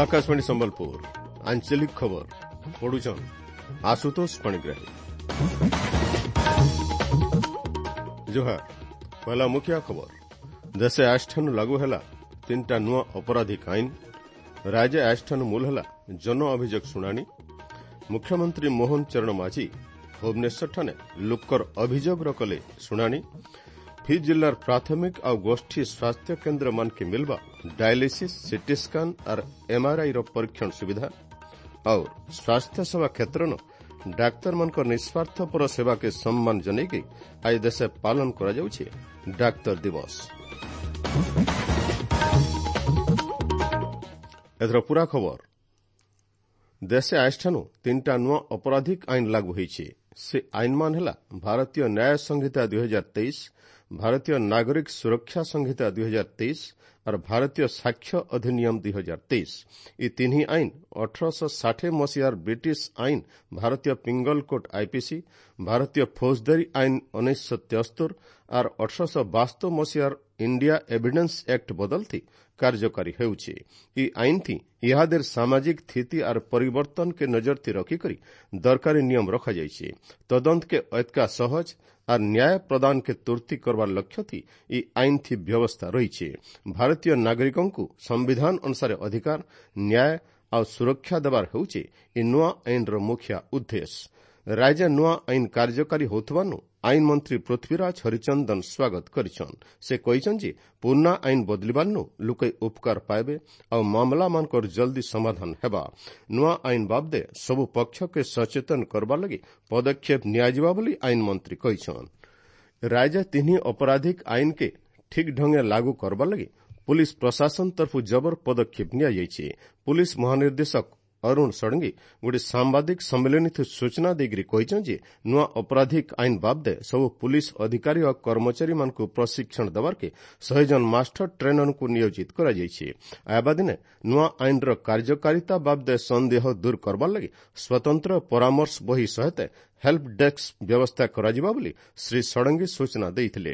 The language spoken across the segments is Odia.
ଆକାଶବାଣୀ ସମ୍ବଲପୁର ଆଞ୍ଚଳିକ ଖବର ପଢୁଛନ୍ ଆଶୁତୋଷ ପାଣିଗ୍ରାହୀ। ଜୁହାର। ପହଲା ମୁଖିଆ ଖବର। ଦେଶେ ଆଜଠାନୁ ଲାଗୁ ହେଲା ତିନିଟା ନୂଆ ଅପରାଧିକ ଆଇନ। ରାଜ୍ୟ ଆଜଠାନୁ ମୂଲ ହେଲା ଜନ ଅଭିଯୋଗ ଶୁଣାଣି। ମୁଖ୍ୟମନ୍ତ୍ରୀ ମୋହନ ଚରଣ ମାଝୀ ଭୁବନେଶ୍ୱରଠାନେ ଲୋକର ଅଭିଯୋଗର କଲେ ଶୁଣାଣି। ଫି ଜିଲ୍ଲାର ପ୍ରାଥମିକ ଆଉ ଗୋଷ୍ଠୀ ସ୍ୱାସ୍ଥ୍ୟ କେନ୍ଦ୍ର ମାନକେ ମିଲବା ଡାୟାଲିସିସ୍, ସିଟି ସ୍କାନ୍ ଆର୍ ଏମ୍ଆର୍ଆଇର ପରୀକ୍ଷଣ ସୁବିଧା। ଆଉ ସ୍ୱାସ୍ଥ୍ୟ ସେବା କ୍ଷେତ୍ରନ ଡାକ୍ତରମାନଙ୍କର ନିଃସ୍ୱାର୍ଥପର ସେବାକେ ସମ୍ମାନ ଜଣାଇକି ଆଜି ଦେଶେ ପାଳନ କରାଯାଉଛି ଡାକ୍ତର ଦିବସ। ଏଥର ପୁରା ଖବର। ଦେଶେ ଆଜଠାନୁ ତିନିଟା ନୂଆ ଅପରାଧିକ ଆଇନ ଲାଗୁ ହୋଇଛି। ସେ ଆଇନମାନ ହେଲା ଭାରତୀୟ ନ୍ୟାୟ ସଂହିତା 2023, ଭାରତୀୟ ନାଗରିକ ସୁରକ୍ଷା ସଂହିତା 2023 ଆର୍ ଭାରତୀୟ ସାକ୍ଷ୍ୟ ଅଧିନିୟମ 2023। ଇ ତିନ୍ହି ଆଇନ 1860 ମସିହାର ବ୍ରିଟିଶ ଆଇନ ଭାରତୀୟ ପିଙ୍ଗଲ କୋର୍ଟ ଆଇପିସି, ଭାରତୀୟ ଫୌଜଦାରୀ ଆଇନ 1973 ଆର୍ 1872 ମସିହାର ଇଣ୍ଡିଆ ଏଭିଡେନ୍ସ ଆକ୍ଟ ବଦଲଥି କାର୍ଯ୍ୟକାରୀ ହେଉଛି। ଇ ଆଇନ ଥି ଇହାଦେର ସାମାଜିକ ସ୍ଥିତି ଆର୍ ପରିବର୍ତ୍ତନକେ ନଜର ଥି ରଖିକରି ଦରକାରୀ ନିୟମ ରଖାଯାଇଛି। ତଦନ୍ତକେ ଏତକା ସହଜ ଆର୍ ନ୍ୟାୟ ପ୍ରଦାନକେ ତୁର୍ତି କରବାର ଲକ୍ଷ୍ୟ ଥି ଇ ଆଇନ ଥି ବ୍ୟବସ୍ଥା ରହିଛି। ଭାରତୀୟ ନାଗରିକଙ୍କୁ ସମ୍ବିଧାନ ଅନୁସାରେ ଅଧିକାର, ନ୍ୟାୟ ଆଉ ସୁରକ୍ଷା ଦେବାର ହେଉଛି ଇ ନୂଆ ଆଇନର ମୁଖ୍ୟ ଉଦ୍ଦେଶ୍ୟ। ରାଜ୍ୟ ନୂଆ ଆଇନ କାର୍ଯ୍ୟକାରୀ ହେଉଥିବାରୁ ଆଇନ ମନ୍ତ୍ରୀ ପୃଥ୍ୱୀରାଜ ହରିଚନ୍ଦନ ସ୍ୱାଗତ କରିଛନ୍। ସେ କହିଛନ୍ ଯେ ପୁରୁଣା ଆଇନ ବଦଳିବାର୍ନୁ ଲୁକେ ଉପକାର ପାଇବେ ଆଉ ମାମଲାମାନଙ୍କର ଜଲ୍ଦି ସମାଧାନ ହେବା। ନୂଆ ଆଇନ ବାବଦେ ସବୁ ପକ୍ଷକେ ସଚେତନ କରବାର ଲାଗି ପଦକ୍ଷେପ ନିଆଯିବା ବୋଲି ଆଇନ ମନ୍ତ୍ରୀ କହିଛନ୍। ରାଜ୍ୟ ତିନି ଅପରାଧିକ ଆଇନକେ ଠିକ୍ ଢଙ୍ଗେ ଲାଗୁ କରବାର ଲାଗି ପୁଲିସ୍ ପ୍ରଶାସନ ତରଫୁ ଜବର ପଦକ୍ଷେପ ନିଆଯାଇଛି। ପୁଲିସ୍ ମହାନିର୍ଦ୍ଦେଶକ ଅରୁଣ ଷଡ଼ଙ୍ଗୀ ଗୋଟିଏ ସାମ୍ବାଦିକ ସମ୍ମିଳନୀଥି ସୂଚନା ଦେଇକରି କହିଛନ୍ ଯେ ନୂଆ ଅପରାଧିକ ଆଇନ ବାବଦେ ସବୁ ପୁଲିସ୍ ଅଧିକାରୀ ଓ କର୍ମଚାରୀମାନଙ୍କୁ ପ୍ରଶିକ୍ଷଣ ଦେବାର୍କେ 100 ଜଣ ମାଷ୍ଟର ଟ୍ରେନରଙ୍କୁ ନିୟୋଜିତ କରାଯାଇଛି। ଆଇବା ଦିନେ ନୂଆ ଆଇନର କାର୍ଯ୍ୟକାରିତା ବାବଦେ ସନ୍ଦେହ ଦୂର କରବାର ଲାଗି ସ୍ୱତନ୍ତ୍ର ପରାମର୍ଶ ବହି ସହିତ ହେଲ୍ପ ଡେସ୍କ ବ୍ୟବସ୍ଥା କରାଯିବ ବୋଲି ଶ୍ରୀ ଷଡ଼ଙ୍ଗୀ ସୂଚନା ଦେଇଥିଲେ।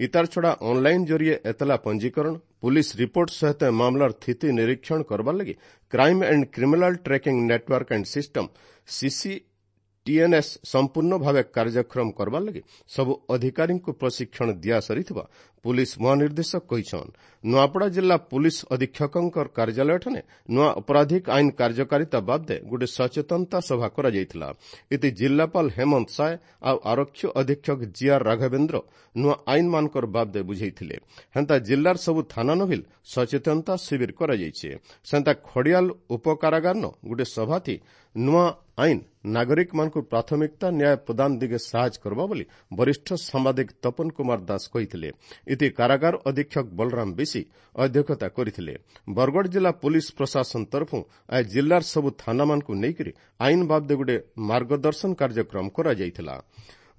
ଇତାର ଛଡ଼ା ଅନ୍ଲାଇନ୍ ଜରିଏ ଏତଲା ପଞ୍ଜୀକରଣ, ପୁଲିସ୍ ରିପୋର୍ଟ ସହିତ ମାମଲାର ସ୍ଥିତି ନିରୀକ୍ଷଣ କରବାର ଲାଗି crime and criminal tracking network and system CCTNS ସମ୍ପୂର୍ଣ୍ଣ ଭାବେ କାର୍ଯ୍ୟକ୍ଷମ କରବାର ଲାଗି ସବୁ ଅଧିକାରୀଙ୍କୁ ପ୍ରଶିକ୍ଷଣ ଦିଆସରିଥିବା ପୁଲିସ୍ ମହାନିର୍ଦ୍ଦେଶକ କହିଛନ୍। ନୂଆପଡ଼ା ଜିଲ୍ଲା ପୁଲିସ୍ ଅଧୀକ୍ଷକଙ୍କ କାର୍ଯ୍ୟାଳୟଠାରେ ନୂଆ ଅପରାଧିକ ଆଇନ କାର୍ଯ୍ୟକାରିତା ବାବଦେ ଗୋଟିଏ ସଚେତନତା ସଭା କରାଯାଇଥିଲା। ଏଥି ଜିଲ୍ଲାପାଳ ହେମନ୍ତ ସାଏ ଆଉ ଆରକ୍ଷୀ ଅଧୀକ୍ଷକ ଜିଆର୍ ରାଘବେନ୍ଦ୍ର ନୂଆ ଆଇନମାନଙ୍କର ବାବଦେ ବୁଝେଇଥିଲେ। ହେନ୍ତା ଜିଲ୍ଲାର ସବୁ ଥାନା ନଭିଲ ସଚେତନତା ଶିବିର କରାଯାଇଛି। ସେନ୍ତା ଖଡ଼ିଆଲ ଉପକାରାଗାରନ ଗୋଟିଏ ସଭାଥି ନୂଆ ଆଇନ ନାଗରିକମାନଙ୍କୁ ପ୍ରାଥମିକତା ନ୍ୟାୟ ପ୍ରଦାନ ଦିଗେ ସାହାଯ୍ୟ କରବା ବୋଲି ବରିଷ୍ଠ ସାମ୍ବାଦିକ ତପନ କୁମାର ଦାସ କହିଥିଲେ। ଏଥି କାରାଗାର ଅଧୀକ୍ଷକ ବଳରାମ ବିଶି ଅଧ୍ୟକ୍ଷତା କରିଥିଲେ। ବରଗଡ଼ ଜିଲ୍ଲା ପୁଲିସ୍ ପ୍ରଶାସନ ତରଫରୁ ଆଜି ଜିଲ୍ଲାର ସବୁ ଥାନାମାନଙ୍କୁ ନେଇକରି ଆଇନ ବାବଦେ ଗୋଟିଏ ମାର୍ଗଦର୍ଶନ କାର୍ଯ୍ୟକ୍ରମ କରାଯାଇଥିଲା।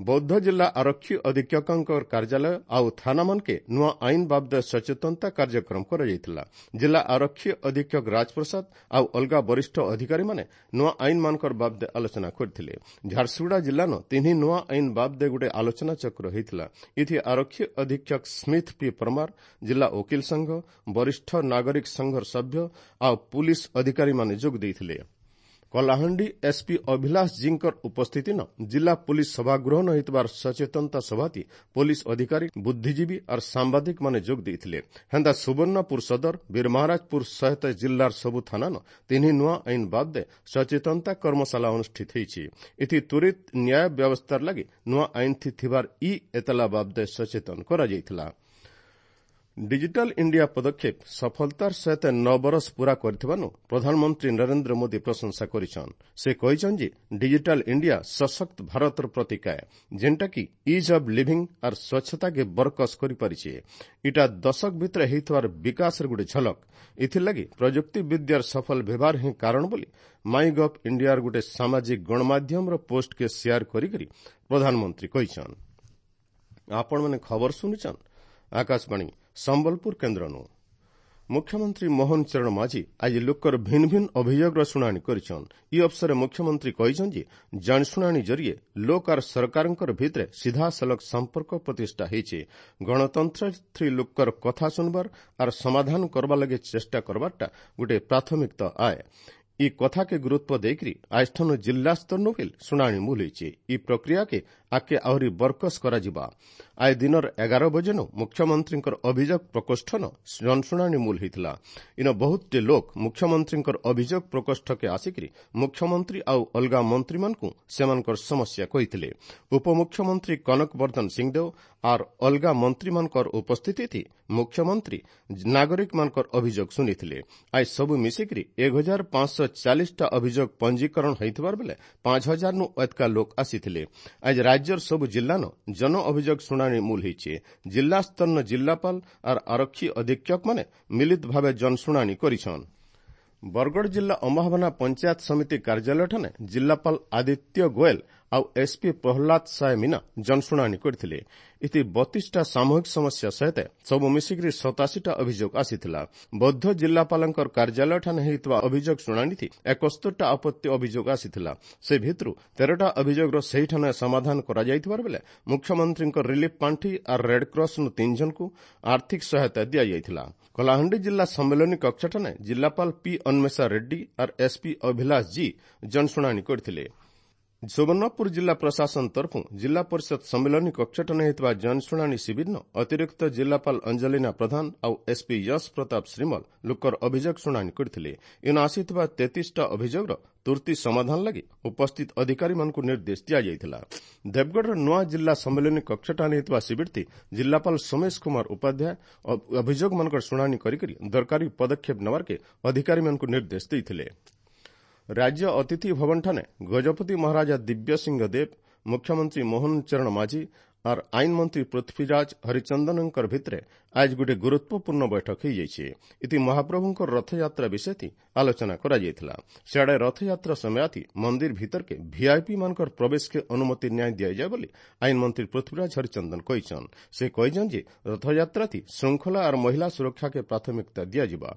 ବୌଦ୍ଧ ଜିଲ୍ଲା ଆରକ୍ଷୀ ଅଧୀକ୍ଷକଙ୍କ କାର୍ଯ୍ୟାଳୟ ଆଉ ଥାନାମାନକେ ନୂଆ ଆଇନ ବାବଦେ ସଚେତନତା କାର୍ଯ୍ୟକ୍ରମ କରାଯାଇଥିଲା। ଜିଲ୍ଲା ଆରକ୍ଷୀ ଅଧୀକ୍ଷକ ରାଜପ୍ରସାଦ ଆଉ ଅଲଗା ବରିଷ୍ଠ ଅଧିକାରୀମାନେ ନୂଆ ଆଇନମାନଙ୍କର ବାବଦେ ଆଲୋଚନା କରିଥିଲେ। ଝାରସୁଗୁଡ଼ା ଜିଲ୍ଲାନ ତିନି ନୂଆ ଆଇନ ବାବଦେ ଗୋଟିଏ ଆଲୋଚନା ଚକ୍ର ହୋଇଥିଲା। ଏଥି ଆରକ୍ଷୀ ଅଧୀକ୍ଷକ ସ୍ମିଥ ପି ପରମାର, ଜିଲ୍ଲା ଓକିଲ ସଂଘ, ବରିଷ୍ଠ ନାଗରିକ ସଂଘର ସଭ୍ୟ ଆଉ ପୁଲିସ୍ ଅଧିକାରୀମାନେ ଯୋଗ ଦେଇଥିଲେ। କଳାହାଣ୍ଡି ଏସ୍ପି ଅଭିଲାଷ ଜୀଙ୍କର ଉପସ୍ଥିତିନ ଜିଲ୍ଲା ପୁଲିସ୍ ସଭାଗୃହ ହୋଇଥିବାର ସଚେତନତା ସଭାତି ପୋଲିସ ଅଧିକାରୀ, ବୁଦ୍ଧିଜୀବୀ ଆର୍ ସାମ୍ବାଦିକମାନେ ଯୋଗ ଦେଇଥିଲେ। ହେନ୍ତା ସୁବର୍ଣ୍ଣପୁର ସଦର, ବୀରମହାରାଜପୁର ସହିତ ଜିଲ୍ଲାର ସବୁ ଥାନାନ ତିନି ନୂଆ ଆଇନ ବାବଦେ ସଚେତନତା କର୍ମଶାଳା ଅନୁଷ୍ଠିତ ହୋଇଛି। ଏଥି ତ୍ୱରିତ ନ୍ୟାୟ ବ୍ୟବସ୍ଥାର ଲାଗି ନୂଆ ଆଇନ ଥିବାର ଇ ଏତଲା ବାବଦେ ସଚେତନ କରାଯାଇଥିଲା। ଡିଜିଟାଲ ଇଣ୍ଡିଆ ପଦକ୍ଷେପ ସଫଳତାର ସହିତ 9 ବରଷ ପୂରା କରିଥିବାରୁ ପ୍ରଧାନମନ୍ତ୍ରୀ ନରେନ୍ଦ୍ର ମୋଦି ପ୍ରଶଂସା କରିଛନ୍। ସେ କହିଛନ୍ ଯେ ଡିଜିଟାଲ ଇଣ୍ଡିଆ ସଶକ୍ତ ଭାରତର ପ୍ରତୀକ ଆଏ, ଯେନ୍ଟାକି ଇଜ୍ ଅଫ୍ ଲିଭିଂ ଆର୍ ସ୍ୱଚ୍ଛତାକେ ବରକସ କରିପାରିଛେ। ଇଟା ଦଶକ ଭିତରେ ହେଇଥିବାର ବିକାଶର ଗୋଟେ ଝଲକ। ଏଥିର୍ଲାଗି ପ୍ରଯୁକ୍ତି ବିଦ୍ୟାର ସଫଳ ବ୍ୟବହାର ହିଁ କାରଣ ବୋଲି ମାଇ ଗଭ୍ ଇଣ୍ଡିଆର ଗୋଟେ ସାମାଜିକ ଗଣମାଧ୍ୟମର ପୋଷ୍ଟକେ ସେୟାର କରିକରି ପ୍ରଧାନମନ୍ତ୍ରୀ କହିଛନ୍। ଆପଣମାନେ ଖବର ଶୁଣିଛନ୍ ଆକାଶବାଣୀ ସମ୍ବଲପୁର କେନ୍ଦ୍ରନୁ। ମୁଖ୍ୟମନ୍ତ୍ରୀ ମୋହନ ଚରଣ ମାଝୀ ଆଜି ଲୋକର ଭିନ୍ନ ଭିନ୍ନ ଅଭିଯୋଗର ଶୁଣାଣି କରିଛନ୍। ଇ ଅବସରରେ ମୁଖ୍ୟମନ୍ତ୍ରୀ କହିଛନ୍ତି ଯେ ଜନଶୁଣାଣି ଜରିଏ ଲୋକ ଆର୍ ସରକାରଙ୍କର ଭିତରେ ସିଧାସଳଖ ସମ୍ପର୍କ ପ୍ରତିଷ୍ଠା ହେଇଛେ। ଗଣତନ୍ତ୍ର ଲୋକର କଥା ଶୁଣବାର ଆର୍ ସମାଧାନ କରବା ଲାଗି ଚେଷ୍ଟା କରବାରଟା ଗୋଟେ ପ୍ରାଥମିକତା ଆଏ। ଇ କଥାକେ ଗୁରୁତ୍ୱ ଦେଇକରି ଆଜଠାନୁ ଜିଲ୍ଲା ସ୍ତରନୁ ଫିଲ୍ ଶୁଣାଣି ମୂଲ ହେଇଛେ। ଇ ପ୍ରକ୍ରିୟାକେ ଆଗକେ ଆହୁରି ବରକସ କରାଯିବା। ଆଜ ଦିନର 11 ବଜେନୁ ମୁଖ୍ୟମନ୍ତ୍ରୀଙ୍କର ଅଭିଯୋଗ ପ୍ରକୋଷ୍ଠନ ଜନଶୁଣାଣି ମୂଲ ହେଇଥିଲା। ଇନ ବହୁତଟେ ଲୋକ ମୁଖ୍ୟମନ୍ତ୍ରୀଙ୍କର ଅଭିଯୋଗ ପ୍ରକୋଷ୍ଠକେ ଆସିକରି ମୁଖ୍ୟମନ୍ତ୍ରୀ ଆଉ ଅଲଗା ମନ୍ତ୍ରୀମାନଙ୍କୁ ସେମାନଙ୍କର ସମସ୍ୟା କହିଥିଲେ। ଉପମୁଖ୍ୟମନ୍ତ୍ରୀ କନକ ବର୍ଦ୍ଧନ ସିଂଦେଓ ଆର୍ ଅଲଗା ମନ୍ତ୍ରୀମାନଙ୍କର ଉପସ୍ଥିତି ମୁଖ୍ୟମନ୍ତ୍ରୀ ନାଗରିକମାନଙ୍କର ଅଭିଯୋଗ ଶୁଣିଥିଲେ। ଆଜ ସବୁ ମିଶିକରି 1540ଟା ଅଭିଯୋଗ ପଞ୍ଜୀକରଣ ହୋଇଥିବାର ବେଲେ 5000 ନୁ ଅଧିକା ଲୋକ ଆସିଥିଲେ। ଆଜ ରାଜ୍ୟର ସବୁ ଜିଲ୍ଲାନ ଜନ ଅଭିଯୋଗ ଶୁଣାଣି ମୂଲ ହେଇଛେ। ଜିଲ୍ଲା ସ୍ତରନ ଜିଲ୍ଲାପାଳ ଆର୍ ଆରକ୍ଷୀ ଅଧୀକ୍ଷକମାନେ ମିଳିତ ଭାବେ ଜନଶୁଣାଣି କରିଛନ୍। ବରଗଡ଼ ଜିଲ୍ଲା ଅମ୍ବାଭୋନା ପଞ୍ଚାୟତ ସମିତି କାର୍ଯ୍ୟାଳୟଠାରେ ଜିଲ୍ଲାପାଳ ଆଦିତ୍ୟ ଗୋଏଲ ଆଉ ଏସ୍ପି ପ୍ରହ୍ଲାଦ ସାଏ ମୀନା ଜନଶୁଣାଣି କରିଥିଲେ। ଇତି 32ଟା ସାମୂହିକ ସମସ୍ୟା ସହିତ ସବୁ ମିଶିକରି 87ଟା ଅଭିଯୋଗ ଆସିଥିଲା। ବୌଦ୍ଧ ଜିଲ୍ଲାପାଳଙ୍କର କାର୍ଯ୍ୟାଳୟଠାରେ ହେଇଥିବା ଅଭିଯୋଗ ଶୁଣାଣିଥି 71ଟା ଆପତ୍ତି ଅଭିଯୋଗ ଆସିଥିଲା। ସେ ଭିତରୁ 13ଟା ଅଭିଯୋଗର ସେହିଠାନେ ସମାଧାନ କରାଯାଇଥିବାର ବେଲେ ମୁଖ୍ୟମନ୍ତ୍ରୀଙ୍କ ରିଲିଫ ପାଣ୍ଠି ଆର୍ ରେଡ୍କ୍ରସ୍ନୁ 3 ଜଣଙ୍କୁ ଆର୍ଥିକ ସହାୟତା ଦିଆଯାଇଥିଲା। କଳାହାଣ୍ଡି ଜିଲ୍ଲା ସମ୍ମିଳନୀ କକ୍ଷଠାନେ ଜିଲ୍ଲାପାଳ ପି ଅନ୍ୱେଷା ରେଡ୍ଡି ଆର୍ ଏସ୍ପି ଅଭିଲାଷ ଜି ଜନଶୁଣାଣି କରିଥିଲେ। ସୁବର୍ଣ୍ଣପୁର ଜିଲ୍ଲା ପ୍ରଶାସନ ତରଫରୁ ଜିଲ୍ଲା ପରିଷଦ ସମ୍ମିଳନୀ କକ୍ଷଠାନେ ହେଇଥିବା ଜନଶୁଣାଣି ଶିବିରନ ଅତିରିକ୍ତ ଜିଲ୍ଲାପାଳ ଅଞ୍ଜଲିନା ପ୍ରଧାନ ଆଉ ଏସ୍ପି ୟଶ ପ୍ରତାପ ଶ୍ରୀମଲ ଲୋକର ଅଭିଯୋଗ ଶୁଣାଣି କରିଥିଲେ। ଇନ ଆସିଥିବା 33ଟା ଅଭିଯୋଗର ତୁର୍ତ୍ତି ସମାଧାନ ଲାଗି ଉପସ୍ଥିତ ଅଧିକାରୀମାନଙ୍କୁ ନିର୍ଦ୍ଦେଶ ଦିଆଯାଇଥିଲା। ଦେବଗଡ଼ର ନୂଆ ଜିଲ୍ଲା ସମ୍ମିଳନୀ କକ୍ଷଠାନେ ହେଇଥିବା ଶିବିରଟି ଜିଲ୍ଲାପାଳ ସୋମେଶ କୁମାର ଉପାଧ୍ୟାୟ ଅଭିଯୋଗମାନଙ୍କର ଶୁଣାଣି କରିକରି ଦରକାରୀ ପଦକ୍ଷେପ ନେବାର୍କେ ଅଧିକାରୀମାନଙ୍କୁ ନିର୍ଦ୍ଦେଶ ଦେଇଥିଲେ। ରାଜ୍ୟ ଅତିଥି ଭବନଠାନେ ଗଜପତି ମହାରାଜା ଦିବ୍ୟସିଂହ ଦେବ, ମୁଖ୍ୟମନ୍ତ୍ରୀ ମୋହନ ଚରଣ ମାଝୀ ଆର୍ ଆଇନ ମନ୍ତ୍ରୀ ପୃଥ୍ୱୀରାଜ ହରିଚନ୍ଦନଙ୍କର ଭିତରେ ଆଜ ଗୋଟିଏ ଗୁରୁତ୍ୱପୂର୍ଣ୍ଣ ବୈଠକ ହୋଇଯାଇଛି। ଇତି ମହାପ୍ରଭୁଙ୍କର ରଥଯାତ୍ରା ବିଷୟତି ଆଲୋଚନା କରାଯାଇଥିଲା। ସିଆଡ଼େ ରଥଯାତ୍ରା ସମୟାତି ମନ୍ଦିର ଭିତରକେ ଭିଆଇପି ମାନଙ୍କର ପ୍ରବେଶକେ ଅନୁମତି ନ୍ୟାୟ ଦିଆଯାଏ ବୋଲି ଆଇନ ମନ୍ତ୍ରୀ ପୃଥ୍ୱୀରାଜ ହରିଚନ୍ଦନ କହିଛନ୍। ସେ କହିଛନ୍ ଯେ ରଥଯାତ୍ରାତି ଶୃଙ୍ଖଳା ଆର୍ ମହିଳା ସୁରକ୍ଷାକେ ପ୍ରାଥମିକତା ଦିଆଯିବା।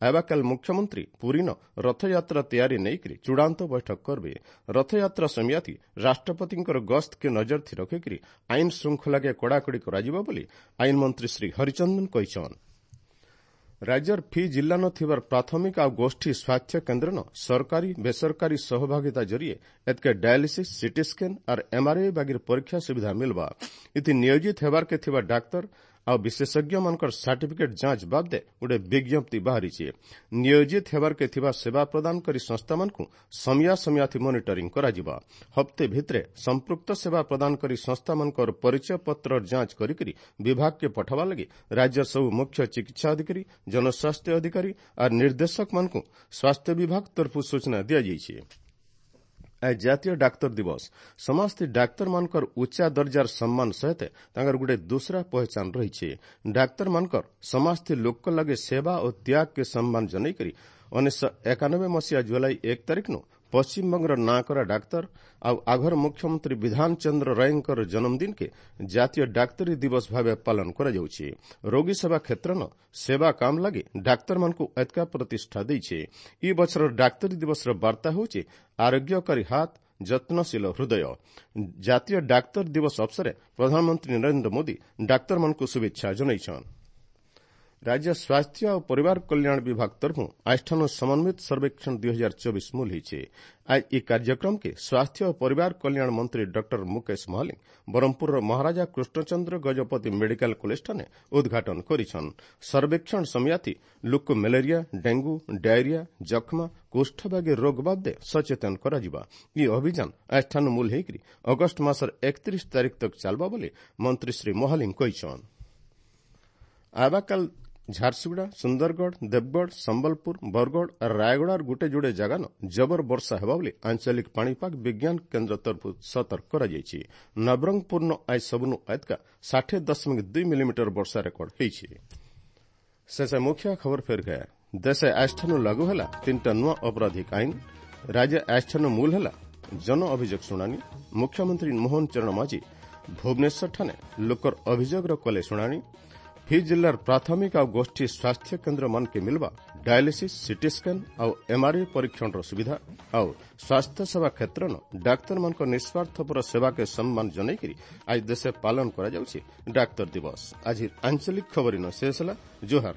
ଆବାକାଲ ମୁଖ୍ୟମନ୍ତ୍ରୀ ପୁରୀନ ରଥଯାତ୍ରା ତିଆରି ନେଇକରି ଚୂଡ଼ାନ୍ତ ବୈଠକ କରବେ। ରଥଯାତ୍ରା ସମୟାତି ରାଷ୍ଟ୍ରପତିଙ୍କର ଗସ୍ତକେ ନଜର ଥି ରଖିକରି ଆଇନ ଶୃଙ୍ଖଳାକେ କଡ଼ାକଡ଼ି କରାଯିବ ବୋଲି ଆଇନ ମନ୍ତ୍ରୀ ଶ୍ରୀ ହରିଚନ୍ଦନ କହିଛନ୍। ରାଜ୍ୟର ଫି ଜିଲ୍ଲାନ ଥିବାର ପ୍ରାଥମିକ ଆଉ ଗୋଷ୍ଠୀ ସ୍ୱାସ୍ଥ୍ୟ କେନ୍ଦ୍ରନ ସରକାରୀ ବେସରକାରୀ ସହଭାଗିତା ଜରିଏ ଏତ୍କେ ଡାୟାଲିସିସ୍, ସିଟି ସ୍କାନ୍ ଆର୍ ଏମ୍ଆର୍ଆଇ ବାଗିର ପରୀକ୍ଷା ସୁବିଧା ମିଲବା। ଇତି ନିୟୋଜିତ ହେବାର୍କେ ଥିବା ଡାକ୍ତର ଆଉ ବିଶେଷଜ୍ଞମାନଙ୍କର ସାର୍ଟିଫିକେଟ୍ ଯାଞ୍ଚ ବାବଦେ ଗୋଟେ ବିଜ୍ଞପ୍ତି ବାହାରିଛି। ନିୟୋଜିତ ହେବାର୍କେ ଥିବା ସେବା ପ୍ରଦାନକାରୀ ସଂସ୍ଥାମାନଙ୍କୁ ସମିୟା ସମିୟାଥି ମନିଟରିଂ କରାଯିବା। ହପ୍ତେ ଭିତରେ ସମ୍ପୃକ୍ତ ସେବା ପ୍ରଦାନକାରୀ ସଂସ୍ଥାମାନଙ୍କର ପରିଚୟ ପତ୍ରର ଯାଞ୍ଚ କରିକରି ବିଭାଗକେ ପଠାବା ଲାଗି ରାଜ୍ୟର ସବୁ ମୁଖ୍ୟ ଚିକିତ୍ସା ଅଧିକାରୀ, ଜନସ୍ୱାସ୍ଥ୍ୟ ଅଧିକାରୀ ଆର୍ ନିର୍ଦ୍ଦେଶକମାନଙ୍କୁ ସ୍ୱାସ୍ଥ୍ୟ ବିଭାଗ ତରଫରୁ ସୂଚନା ଦିଆଯାଇଛି। ଆଜ ଜାତୀୟ ଡାକ୍ତର ଦିବସ। ସମସ୍ତ ଡାକ୍ତରମାନଙ୍କର ଉଚ୍ଚା ଦର୍ଜାର ସମ୍ମାନ ସହିତ ତାଙ୍କର ଗୋଟେ ଦୁସରା ପହଚାନ ରହିଛି। ଡାକ୍ତରମାନଙ୍କର ସମସ୍ତ ଲୋକ ଲାଗି ସେବା ଓ ତ୍ୟାଗକେ ସମ୍ମାନ ଜଣାଇକରି 1991 ମସିହା ଜୁଲାଇ 1 ତାରିଖନୁ ପଶ୍ଚିମବଙ୍ଗର ନାଁକରା ଡାକ୍ତର ଆଉ ଆଘର ମୁଖ୍ୟମନ୍ତ୍ରୀ ବିଧାନ ଚନ୍ଦ୍ର ରାୟଙ୍କର ଜନ୍ମଦିନକେ ଜାତୀୟ ଡାକ୍ତରୀ ଦିବସ ଭାବେ ପାଳନ କରାଯାଉଛି। ରୋଗୀ ସେବା କ୍ଷେତ୍ରନ ସେବା କାମ ଲାଗି ଡାକ୍ତରମାନଙ୍କୁ ଏତକା ପ୍ରତିଷ୍ଠା ଦେଇছে। ଇ ବଛରର ଡାକ୍ତରୀ ଦିବସର ବାର୍ତ୍ତା ହେଉଛି ଆରୋଗ୍ୟକାରୀ ହାତ, ଯତ୍ନଶୀଳ ହୃଦୟ। ଜାତୀୟ ଡାକ୍ତର ଦିବସ ଅବସରରେ ପ୍ରଧାନମନ୍ତ୍ରୀ ନରେନ୍ଦ୍ର ମୋଦି ଡାକ୍ତରମାନଙ୍କୁ ଶୁଭେଚ୍ଛା ଜଣାଇଛନ୍। ରାଜ୍ୟ ସ୍ୱାସ୍ଥ୍ୟ ଆଉ ପରିବାର କଲ୍ୟାଣ ବିଭାଗ ତରଫରୁ ଆଜଠାନୁ ସମନ୍ୱିତ ସର୍ବେକ୍ଷଣ 2024 ମୂଲ ହେଇଛେ। ଆଜ ଇ କାର୍ଯ୍ୟକ୍ରମକେ ସ୍ୱାସ୍ଥ୍ୟ ଓ ପରିବାର କଲ୍ୟାଣ ମନ୍ତ୍ରୀ ଡକ୍ଟର ମୁକେଶ ମହାଲିଙ୍ଗ ବ୍ରହ୍ମପୁରର ମହାରାଜା କୃଷ୍ଣଚନ୍ଦ୍ର ଗଜପତି ମେଡିକାଲ କଲେଜଠାନେ ଉଦ୍ଘାଟନ କରିଛନ୍। ସର୍ବେକ୍ଷଣ ସମୟାତି ଲୋକ ମ୍ୟାଲେରିଆ, ଡେଙ୍ଗୁ, ଡାଇରିଆ, ଯକ୍ଷ୍ମା, କୁଷ୍ଠ ବାଗି ରୋଗ ବାବଦେ ସଚେତନ କରାଯିବା। ଇ ଅଭିଯାନ ଆଜଠାନୁ ମୂଲ ହେଇକରି ଅଗଷ୍ଟ ମାସର 31 ତାରିଖ ତକ ଚାଲବା ବୋଲି ମନ୍ତ୍ରୀ ଶ୍ରୀ ମହାଲିଙ୍ଗ କହିଛନ୍। ଆବାକାଲ ଝାରସୁଗୁଡ଼ା, ସୁନ୍ଦରଗଡ଼, ଦେବଗଡ଼, ସମ୍ବଲପୁର, ବରଗଡ଼ ଆର୍ ରାୟଗଡ଼ାର ଗୋଟେ ଯୋଡ଼େ ଜାଗାନ ଜବର ବର୍ଷା ହେବା ବୋଲି ଆଞ୍ଚଳିକ ପାଣିପାଗ ବିଜ୍ଞାନ କେନ୍ଦ୍ର ତରଫରୁ ସତର୍କ କରାଯାଇଛି। ନବରଙ୍ଗପୁରନ ଆଜ ସବୁନୁ ଏତକା 60.2 ମିଲିମିଟର ବର୍ଷା ରେକର୍ଡ ହେଇଛି। ଶେଷ ମୁଖ୍ୟ ଖବର ଫେର ଗୟା। ଦେଶେ ଆଜଠାନୁ ଲାଗୁ ହେଲା 3ଟା ନୂଆ ଅପରାଧିକ ଆଇନ। ରାଜ୍ୟ ଆଜଠାନୁ ମୂଲ ହେଲା ଜନ ଅଭିଯୋଗ ଶୁଣାଣି। ମୁଖ୍ୟମନ୍ତ୍ରୀ ମୋହନ ଚରଣ ମାଝୀ ଭୁବନେଶ୍ୱରଠାନେ ଲୋକର ଅଭିଯୋଗର କଲେ ଶୁଣାଣି। ହି ଜିଲ୍ଲାର ପ୍ରାଥମିକ ଆଉ ଗୋଷ୍ଠୀ ସ୍ୱାସ୍ଥ୍ୟ କେନ୍ଦ୍ରମାନକେ ମିଲବା ଡାୟାଲିସିସ୍, ସିଟି ସ୍କାନ୍ ଆଉ ଏମ୍ଆର୍ଆଇ ପରୀକ୍ଷଣର ସୁବିଧା ଆଉ ସ୍ୱାସ୍ଥ୍ୟ ସେବା କ୍ଷେତ୍ରନ ଡାକ୍ତରମାନଙ୍କ ନିଃସ୍ୱାର୍ଥପର ସେବାକେ ସମ୍ମାନ ଜଣାଇକରି ଆଜି ଦେଶେ ପାଳନ କରାଯାଉଛି ଡାକ୍ତର ଦିବସ। ଆଜି ଆଞ୍ଚଳିକ ଖବର ଶେଷ ହେଲା। ଜୁହାର।